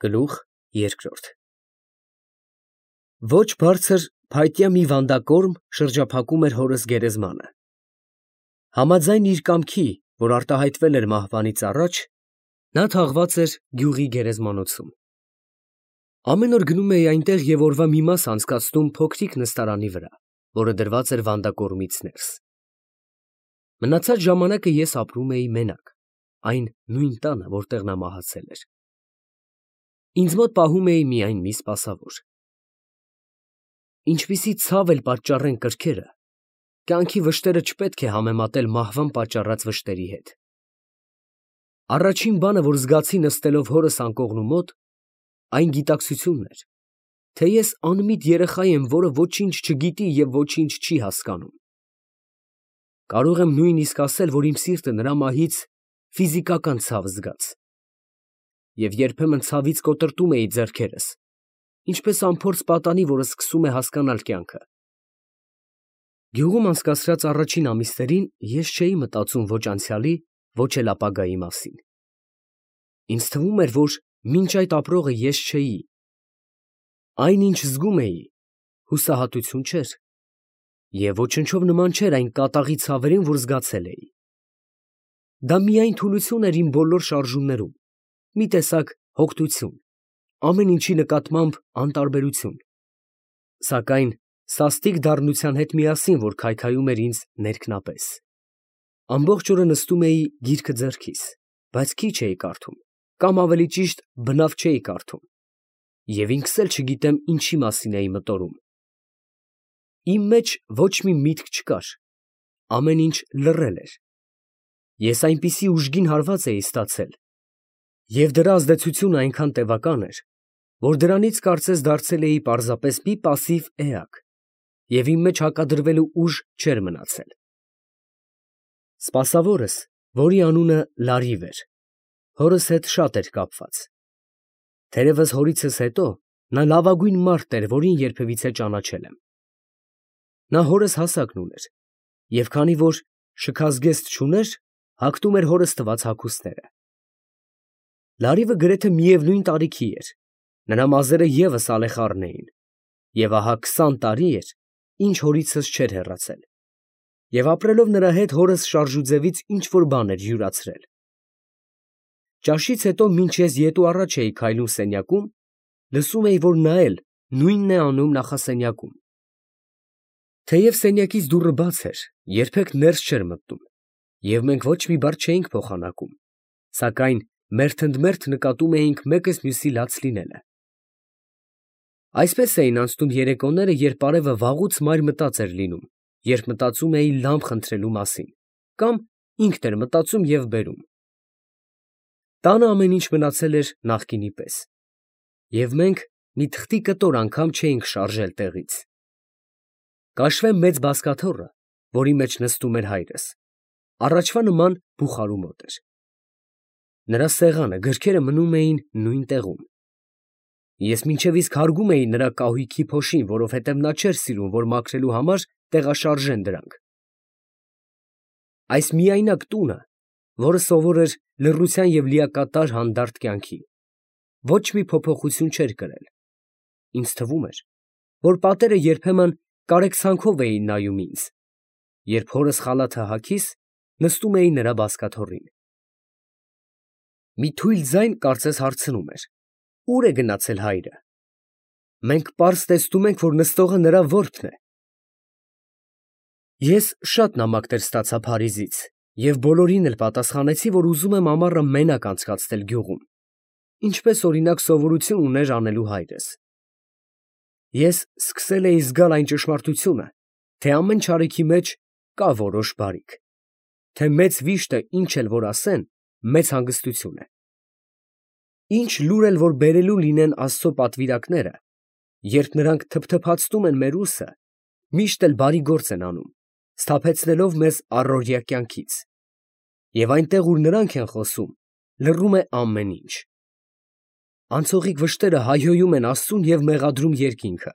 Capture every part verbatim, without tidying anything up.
Գլուխ երկրորդ Ոչ բարձր փայտյա մի վանդակորմ շրջափակում էր հորս գերեզմանը։ Համաձայն իր կամքի, որ արտահայտվել էր մահվանից առաջ, նա թաղված էր գյուղի գերեզմանոցում։ Ամեն օր գնում էի այնտեղ և օրվա մի մաս անցկացնում փոքրիկ նստարանի վրա, որը դրված էր վանդակորմից ներս։ Մնացած ժամանակը ես ապրում էի մենակ, այն նույն տանը, որտեղ նա մահացել էր։ Ինձ մոտ պահում էի միայն մի սպասավոր։ Ինչպիսի ցավ էլ պատճառեն կրքերը, կյանքի վշտերը չպետք է համեմատել մահվան պատճառած վշտերի հետ։ Առաջին բանը, որ զգացի նստելով հորս անկողնու մոտ, այն գիտակցությունն էր, թե ես անմիտ երեխա եմ, որը ոչինչ չգիտի և ոչինչ չի հասկանում։ Կարող եմ նույնիսկ ասել, որ իմ սիրտը նրա մահից ֆիզիկական ցավ զգաց, և երբեմն ցավից կոտրտում էի ձեռքերս, ինչպես անփորձ պատանի, որը սկսում է հասկանալ կյանքը։ Գյուղում անցկացրած առաջին ամիսներին ես չէի մտածում ոչ անցյալի, ոչ էլ ապագայի մասին։ Ինձ թվում էր, որ մինչ այդ ապրողը ես չէի։ Այն, ինչ զգում էի, հուսահատություն չէր, և ոչնչով նման չէր այն կատաղի ցավերին, որ զգացել էի։ Դա միայն թուլություն էր իմ բոլոր շարժումներում, մի տեսակ հոգնություն, ամեն ինչի նկատմամբ անտարբերություն, սակայն սաստիկ դառնության հետ միասին, որ քայքայում էր ինձ ներքնապես։ Ամբողջ օրը նստում էի գիրքը ձեռքիս, բայց քիչ էի կարդում, կամ ավելի ճիշտ բնավ չէի կարդում, և ինքս էլ չգիտեմ ինչի մասին էի մտորում։ Իմ մեջ ոչ մի միտք չկար, ամեն ինչ լռել էր։ Ես այնպիսի ուժգին հարված էի ստացել, և դրա ազդեցությունը այնքան տևական էր, որ դրանից կարծես դարձել էի պարզապես մի պասիվ էակ, և իմ մեջ հակադրվելու ուժ չէր մնացել։ Սպասավորս, որի անունը Լարիվ էր, հորս հետ շատ էր կապված։ Թերևս հորիցս հետո նա լավագույն մարդն էր, որին երբևիցե ճանաչել եմ։ Նա հորս հասակն ուներ, և քանի որ շքազգեստ չուներ, հագնում էր հորս տված հագուստները։ Լարիվը գրեթե միևնույն տարիքի էր, նրա մազերը ևս ալեխառն էին, և ահա քսան տարի էր, ինչ հորիցս չէր հեռացել, և ապրելով նրա հետ հորս շարժուձևից ինչ֊որ բան էր յուրացրել։ Ճաշից հետո մինչ ես ետ ու առաջ էի քայլում սենյակում, լսում էի, որ նա էլ նույնն է անում նախասենյակում։ Թեև սենյակից դուռը բաց էր, երբեք ներս չէր մտնում, և մենք ոչ մի բառ չէինք փոխանակում, սակայն մերթընդմերթ նկատում էինք մեկս մյուսի լաց լինելը։ Այսպես էին անցնում երեկոները, երբ արևը վաղուց մայր մտած էր լինում, երբ մտածում էի լամբ խնդրելու մասին, կամ ինքն էր մտածում և բերում։ Տանը ամեն ինչ մնացել էր նախկինի պես, և մենք մի թղթի կտոր անգամ չէինք շարժել տեղից։ Կաշվե մեծ բազկաթոռը, որի մեջ նստում էր հայրս, առաջվա նման բուխարու մոտ էր։ Նրա սեղանը, գրքերը մնում էին նույն տեղում։ Ես մինչև իսկ հարգում էի նրա կահույքի փոշին, որովհետև նա չէր սիրում, որ մաքրելու համար տեղաշարժեն դրանք։ Այս միայնակ տունը, որը սովոր էր լռության և լիակատար հանդարտ կյանքի, ոչ մի փոփոխություն չէր կրել։ Ինձ թվում էր, որ պատերը երբեմն կարեկցանքով էին նայում ինձ, երբ հորս խալաթը հագիս, նստում էի նրա բազկաթոռին։ Մի թույլ ձայն կարծես հարցնում էր. «Ո՞ւր է գնացել հայրը»։ Մենք պարզ տեսնում ենք, որ նստողը նրա որդն է։ Ես շատ նամակներ ստացա Փարիզից և բոլորին էլ պատասխանեցի, որ ուզում եմ ամառը մենակ անցկացնել գյուղում, ինչպես օրինակ սովորություն ուներ անելու հայրս։ Ես սկսել էի զգալ այն ճշմարտությունը, թե ամեն չարիքի մեջ կա որոշ բարիք, թե մեծ վիշտը ինչ էլ որ ասեն, մեծ հանգստություն է։ Ինչ լուր էլ որ բերելու լինեն Աստծո պատվիրակները, երբ նրանք թփթփացնում են մեր ուսը, միշտ էլ բարի գործ են անում, սթափեցնելով մեզ առօրյա կյանքից, և այնտեղ, ուր նրանք են խոսում, լռում է ամեն ինչ։ Անցողիկ վշտերը հայհոյում են Աստծուն և մեղադրում երկինքը,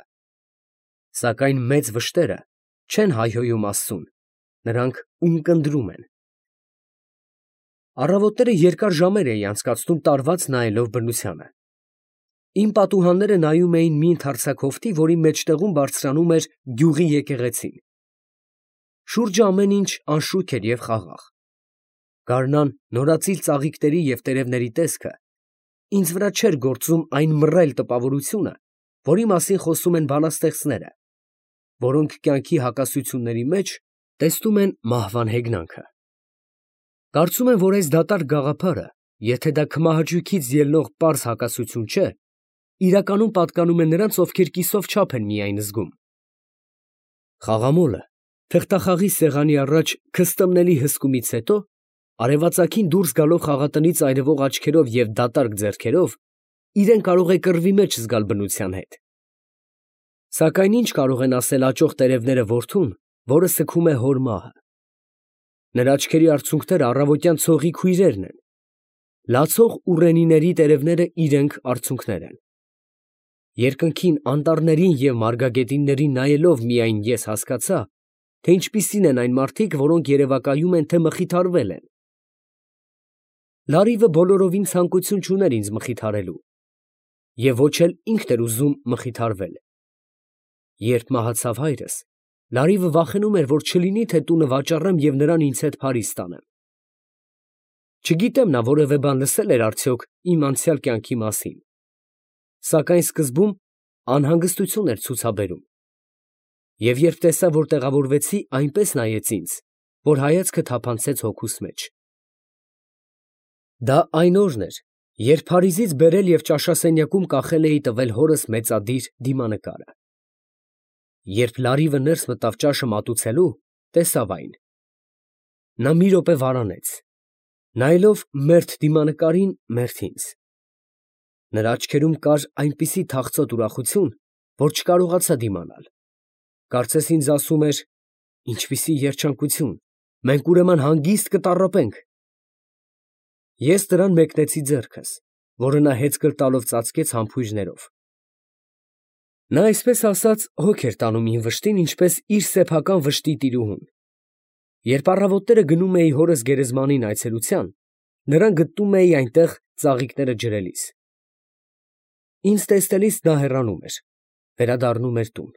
սակայն մեծ վշտերը չեն հայհոյում Աստծուն, նրանք ունկնդրում են։ Առավոտները երկար ժամեր էի անցկացնում տարված նայելով բնությանը։ Իմ պատուհանները նայում էին մի ընդարձակովթի, որի մեջտեղում բարձրանում էր գյուղի եկեղեցին։ Շուրջը ամեն ինչ անշուք էր և խաղաղ։ Գարնան նորածիլ ծաղիկների և տերևների տեսքը ինձ վրա չէր գործում այն մռայլ տպավորությունը, որի մասին խոսում են բանաստեղծները, որոնք կյանքի հակասությունների մեջ տեսնում են մահվան հեգնանքը։ Կարծում եմ, որ այս դատարկ գաղափարը, եթե դա քմահաճույքից ելնող պարզ հակասություն չէ, իրականում պատկանում է նրանց, ովքեր կիսով չափ են միայն զգում։ Խաղամոլը թղթախաղի սեղանի առաջ քստմնելի հսկումից հետո, արևածագին դուրս գալով խաղատնից այրվող աչքերով և դատարկ ձեռքերով, իրեն կարող է կռվի մեջ զգալ բնության հետ։ Սակայն ինչ կարող են ասել աճող տերևները որդուն, որը սգում է հոր մահը։ Նրա աչքերի արցունքները առավոտյան ցողի քույրերն են, լացող ուռենիների տերևները իրենք արցունքներ են։ Երկնքին, անտառներին և մարգագետիններին նայելով միայն ես հասկացա, թե ինչպիսին են այն մարդիկ, որոնք երևակայում են, թե մխիթարվել են։ Լարիվը բոլորովին ցանկություն չուներ ինձ մխիթարելու, և ոչ էլ ինքն էր ուզում մխիթարվել։ Երբ մահացավ հայրս, Լարիվը վախենում էր, որ չլինի, թե տունը վաճառեմ և նրան ինձ հետ Փարիզ տանեմ։ Չգիտեմ նա որևէ բան լսել էր արդյոք իմ անցյալ կյանքի մասին, սակայն սկզբում անհանգստություն էր ցուցաբերում, և երբ տեսա, որ տեղավորվեցի, այնպես նայեց ինձ, որ հայացքը թափանցեց հոգուս մեջ։ Դա այն օրն էր, երբ Փարիզից բերել և ճաշասենյակում կախել էի տվել հորս մեծադիր դիմանկարը։ Երբ Լարիվը ներս մտավ ճաշը մատուցելու, տեսավ այն։ Նա մի րոպե վարանեց, նայելով մերթ դիմանկարին, մերթ ինձ։ Նրա աչքերում կար այնպիսի թախծոտ ուրախություն, որ չկարողացա դիմանալ։ Կարծես ինձ ասում էր. «Ինչպիսի երջանկություն, մենք ուրեմն հանգիստ կտառապենք»։ Ես նրան մեկնեցի ձեռքս, որը նա հեծկլ տալով ծածկեց համբույրներով։ Նա այսպես ասած հոգ էր տանում իմ վշտին, ինչպես իր սեփական վշտի տիրուհուն։ Երբ առավոտները գնում էի հորս գերեզմանին այցելության, նրան գտնում էի այնտեղ ծաղիկները ջրելիս։ Ինձ տեսնելիս նա հեռանում էր, վերադառնում էր տուն։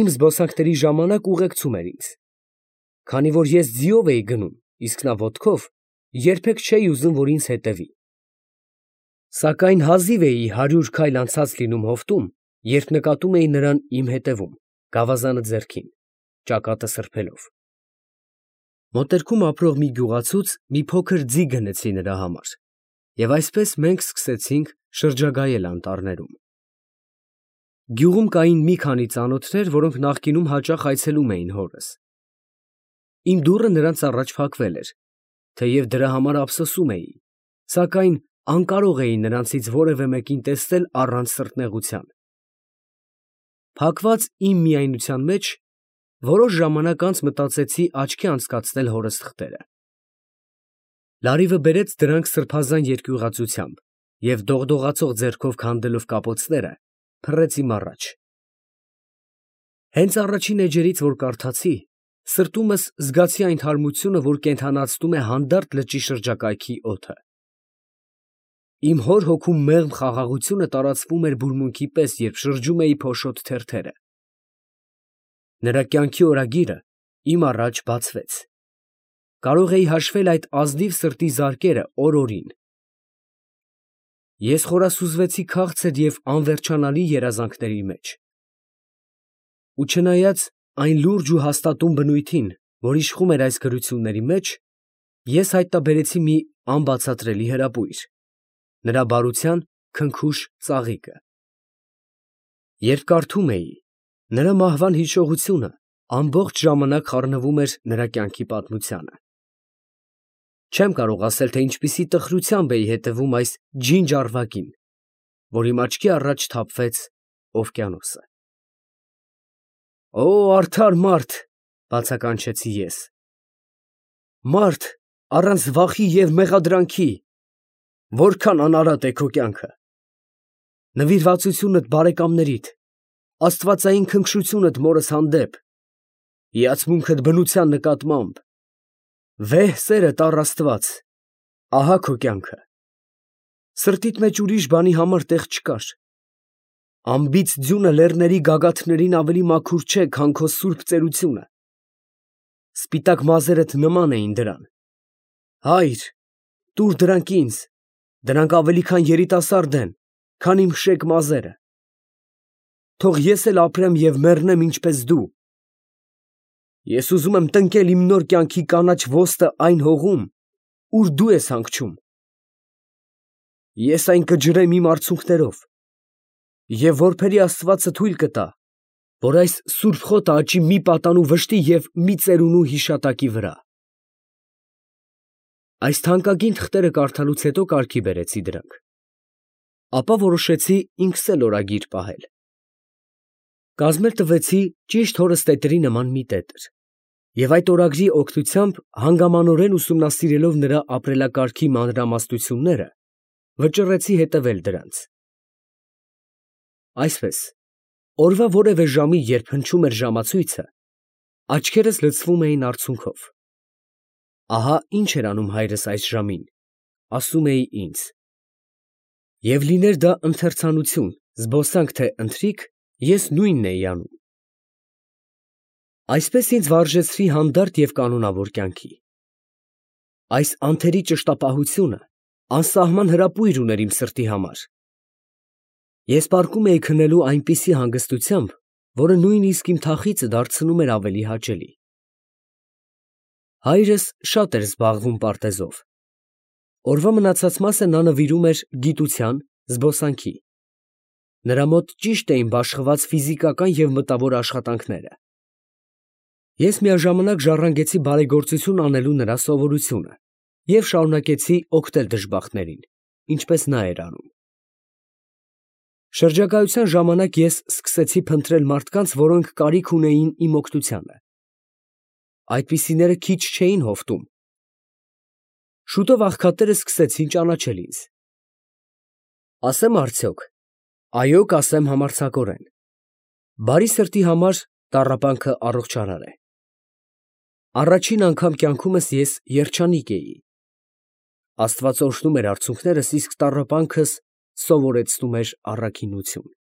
Իմ զբոսանքների ժամանակ ուղեկցում էր ինձ։ Քանի որ ես ձիով էի գնում, իսկ նա ոտքով, երբեք չէի ուզում, որ ինձ հետևի։ Սակայն հազիվ էի հարյուր քայլ անցած լինում հովտում, երբ նկատում էի նրան իմ հետևում, գավազանը ձեռքին, ճակատը սրբելով։ Մոտերքում ապրող մի գյուղացուց մի փոքր ձի գնեցի նրա համար, և այսպես մենք սկսեցինք շրջագայել անտառներում։ Գյուղում կային մի քանի ծանոթներ, որոնք նախկինում հաճախ այցելում էին հորս։ Իմ դուռը նրանց առաջ փակվել էր, թեև դրա համար ափսոսում էի, սակայն անկարող էի նրանցից որևէ մեկին տեսնել առանց սրտնեղության։ Փակված իմ միայնության մեջ որոշ ժամանակ անց մտածեցի աչքի անցկացնել հորս թղթերը։ Լարիվը բերեց դրանք սրբազան երկյուղածությամբ և դողդողացող ձեռքով քանդելով կապոցները, փռեց իմ առաջ։ Հենց առաջին էջերից, որ կարդացի, սրտումս զգացի այն թարմությունը, որ կենդանացնում է հանդարտ լճի շրջակայքի օդը։ Իմ հոր հոգում մեղմ խաղաղությունը տարածվում էր բուրմունքի պես, երբ շրջում էի փոշոտ թերթերը։ Նրա կյանքի օրագիրը իմ առաջ բացվեց։ Կարող էի հաշվել այդ ազնիվ սրտի զարկերը օր֊օրին։ Ես խորասուզվեցի քաղցր և անվերջանալի երազանքների մեջ։ Ու չնայած այն լուրջ ու հաստատուն բնույթին, որ իշխում էր այս գրությունների մեջ, ես հայտնաբերեցի մի անբացատրելի հրապույր, նրա բարության քնքուշ ծաղիկը։ Երբ կարդում էի, նրա մահվան հիշողությունը ամբողջ ժամանակ խառնվում էր նրա կյանքի պատմությանը։ Չեմ կարող ասել, թե ինչպիսի տխրությամբ էի հետևում այս ջինջ֊առվակին, որ իմ աչքի առաջ թափվեց օվկիանոսը։ «Օ, արդար մարդ, ֊ բացականչեցի ես, ֊ մարդ առանց վախի և մեղադրանքի, որքա՜ն անարատ է քո կյանքը։ Նվիրվածությունդ բարեկամներիդ, աստվածային քնքշությունդ մորս հանդեպ, հիացմունքդ բնության նկատմամբ, վեհ սերդ առ Աստված, ահա քո կյանքը։ Սրտիդ մեջ ուրիշ բանի համար տեղ չկար։ Անբիծ ձյունը լեռների գագաթներին ավելի մաքուր չէ, քան քո սուրբ ծերությունը։ Սպիտակ մազերդ նման էին դրան։ Հայր, տուր դրանք ինձ, դրանք ավելի քան երիտասարդ են, քան իմ շեկ մազերը։ Թող ես էլ ապրեմ և մեռնեմ ինչպես դու։ Ես ուզում եմ տնկել իմ նոր կյանքի կանաչ ոստը այն հողում, ուր դու ես հանգչում։ Ես այն կջրեմ իմ արցունքներով, և որբերի Աստվածը թույլ կտա, որ այս սուրբ խոտը աճի մի պատանու վշտի և մի ծերունու հիշատակի վրա։ Այս թանկագին թղթերը կարդալուց հետո կարգի բերեցի դրանք։ Ապա որոշեցի ինքս էլ օրագիր պահել։ Կազմել տվեցի ճիշտ հորս տետերի նման մի տետր, և այդ օրագրի օգնությամբ հանգամանորեն ուսումնասիրելով նրա ապրելակարգի մանրամասնությունները, վճռեցի հետևել դրանց։ Այսպես, օրվա որևէ ժամի, երբ հնչում էր ժամացույցը, աչքերս լցվում էին արցունքով։ Ահա ինչ էր անում հայրս այս ժամին, ասում էի ինձ։ Եվ լիներ դա ընթերցանություն, զբոսանք, թե ընթրիք, ես նույնն էի անում։ Այսպես ինձ վարժեցրի հանդարտ և կանոնավոր կյանքի։ Այս անթերի ճշտապահությունը անսահման հրապույր ուներ իմ սրտի համար։ Ես պառկում էի քնելու այնպիսի հանգստությամբ, որը նույնիսկ իմ թախիծը դարձնում էր ավելի հաճելի։ Հայրս շատ էր զբաղվում պարտեզով։ Օրվա մնացած մասը նա նվիրում էր գիտության, զբոսանքի։ Նրա մոտ ճիշտ էին բաշխված ֆիզիկական և մտավոր աշխատանքները։ Ես միաժամանակ ժառանգեցի բարեգործություն անելու նրա սովորությունը և շարունակեցի օգնել դժբախտներին, ինչպես նա էր անում։ Շրջագայության ժամանակ ես սկսեցի փնտրել մարդկանց, որոնք կարիք ունեին իմ օգնությանը։ Այդպիսիները քիչ չէին հովտում։ Շուտով աղքատները սկսեցին ճանաչել ինձ։ Ասեմ արդյոք, այո, կասեմ համարձակորեն, բարի սրտի համար տառապանքը առողջարար է։ Առաջին անգամ կյանքումս ես երջանիկ էի։ Աստված օրհնում էր արցունքներս, իսկ տառապանքս սովորեցնում էր առաքինություն։